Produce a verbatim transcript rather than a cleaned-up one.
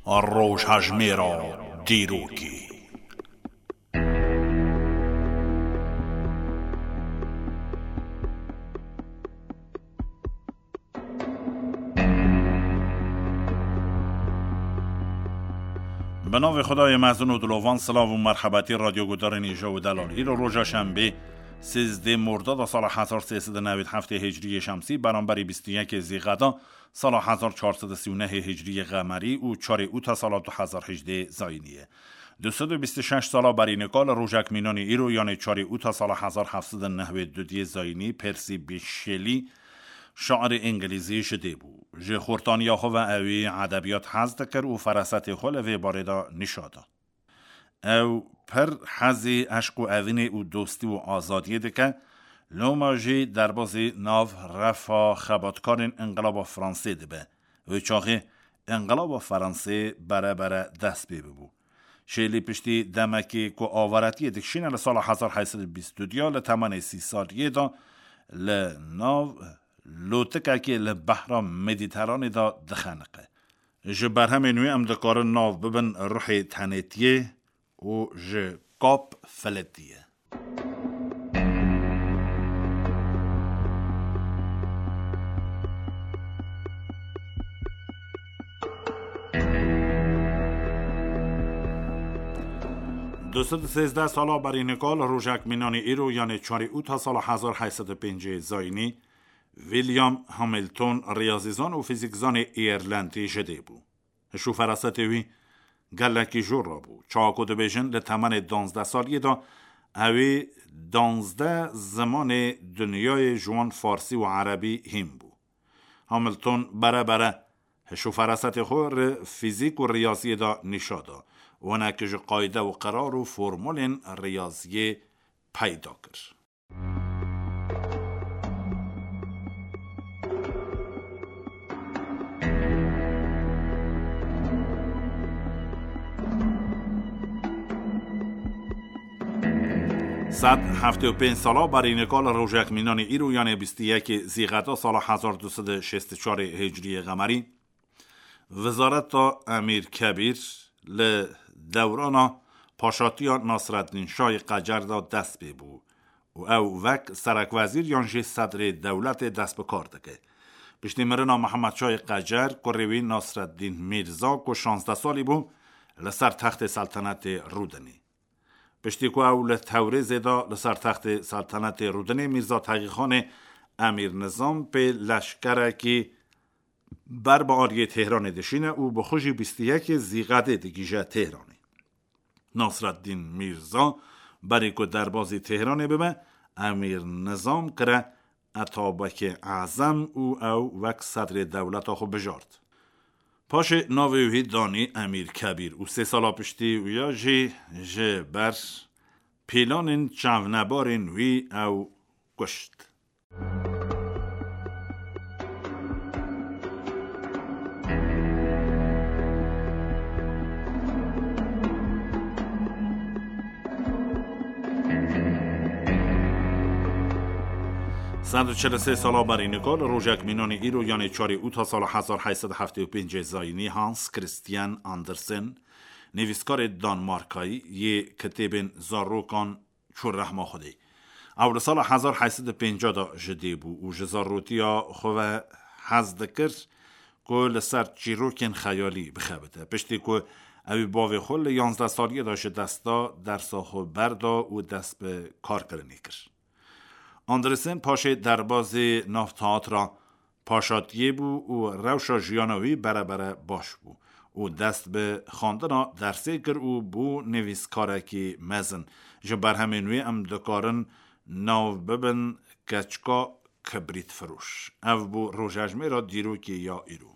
Rojhejmêra dîrokê. Bi navê Xwedayê mezin û dilovan, silav û merhebetî radyo gudarên îja û delal. Îro roja şembê, sêzdeh Mordada sala hezar sê sed û newêd heftê Hicriyê Şemsî, beramberî bîst û yekê Zîqeda sala hezar çar sed û sî û nehê Hicriyê Qemerî û çarê Ûta sala du hezar hejdê Zayînî ye. Du sed û bîst û şeş sala berî nika li rojek mînanî îro, yanê çarê Ûta sala hezar heft sed û newêd û duyê Zayînî, Persî Bîşelî, şairê îngilîzî ji dê bû. Ji xortaniya xwe ve ewî edebiyat hez dikir û ferasetê xwe li vê barê de nîşa da. Ew pir hezî eşq û evînê û dostî û azadiyê dike, loma jî derbazî nav refa xebatkarên Înqilaba Fransê dibe. Wê çaxê Înqilaba Fransê bere bere dest pê bibû. Şêlî piştî demekê ku avaretiyê dikişîne li sala hezar heyt sed û bîst û duya li temenê sî saliyê de li nav lotikekê li behra Medîteranê de dixeniqe. Ji berhemên wî em dikarin nav bibin Ruhê Tenêtiyê û ji Kap Filetiye. Du sed û sêzdeh sala berî nika li rojek mînanî îro, yanê çarê Ûta sala hezar heyt sed û pêncî Zayînî, William Hamilton, riyazîzan û fîzîkzanê Îrlendî ji dê bû. Hiş û ferasetê wî gelekî jor rabû. Çawa ku dibêjin, li temenê duwazdeh saliyê de ewî duwazdeh zimanê dinyayê ji wan farsî û erebî hîn bû. Hamilton bere bere hiş û ferasetê xwe li fîzîk û riyaziyê de nîşa da û hinek ji qayde û qerar û formulên riyaziyê peyda kir. Sed heftê û pênc sala berî nika li rojek mînanî îro, yanê bîst û yekê Zîxeta sala hezar du sed û şêst û çarê Hicriyê Qemerî, Wezareta Emîr Kebîr li dewrana paşatiya Nasreddîn Şahê Qecer de dest pê bû û ew wek serekwezîr yan jî sedrê dewletê dest bi kar dike. Piştî mirina Mihemed Şahê Qecer, kurê wî Nasreddîn Mîrza ku şazdeh salî bû, li ser textê seltenetê rûdinî. Piştî ku ew li Tewrêzê de li ser textê seltenetê rûdinê, Mîrza Teqîxanê Emîr Nizam pê leşkerekî ber bi aliyê Têhranê dişîne û bi xwe jî bîst û yekê Zîqedê digihîje Têhranê. Nasreddîn Mîrza berî ku derbazî Têhranê bibe, Emîr Nizam kire Etabekê Ezem û ew wek sedrê dewleta xwe bijart. Paşê navê wî danî Emîr Kebîr û sê sala piştî wî ya jî ji ber pîlanên çavnebarên wî ew kuşt. Sed û çil û sê sala berî nika li rojek mînanî îro, yanê çarê Ûta sala hezar heyt sed û heftê û pêncê Zayînî, Hans Christian Andersen, nivîskarê Danmarkayî yê kitêbên zarokan çû rehma Xwedê. Ew li sala hezar heyt sed û pêncî de ji dê bû û ji zarotiya xwe ve hez dikir ku li ser çîrokên xeyalî bixebite. Piştî ku ewî bavê xwe li yanzdeh saliyê de ji dest da, dersa xwe berda û dest bi karkirinê kir. Andresen paşê derbazê nav teatra paşatiyê bû û rewşa jiyana wî bere bere baş bû û dest bi xwendina dersê kir û bû nivîskarekî mezin. Ji berhemên wî em dikarin nav bibin Keçika Kibrîtfiroş. Ev bû rojejmêra dîrokê ya îro.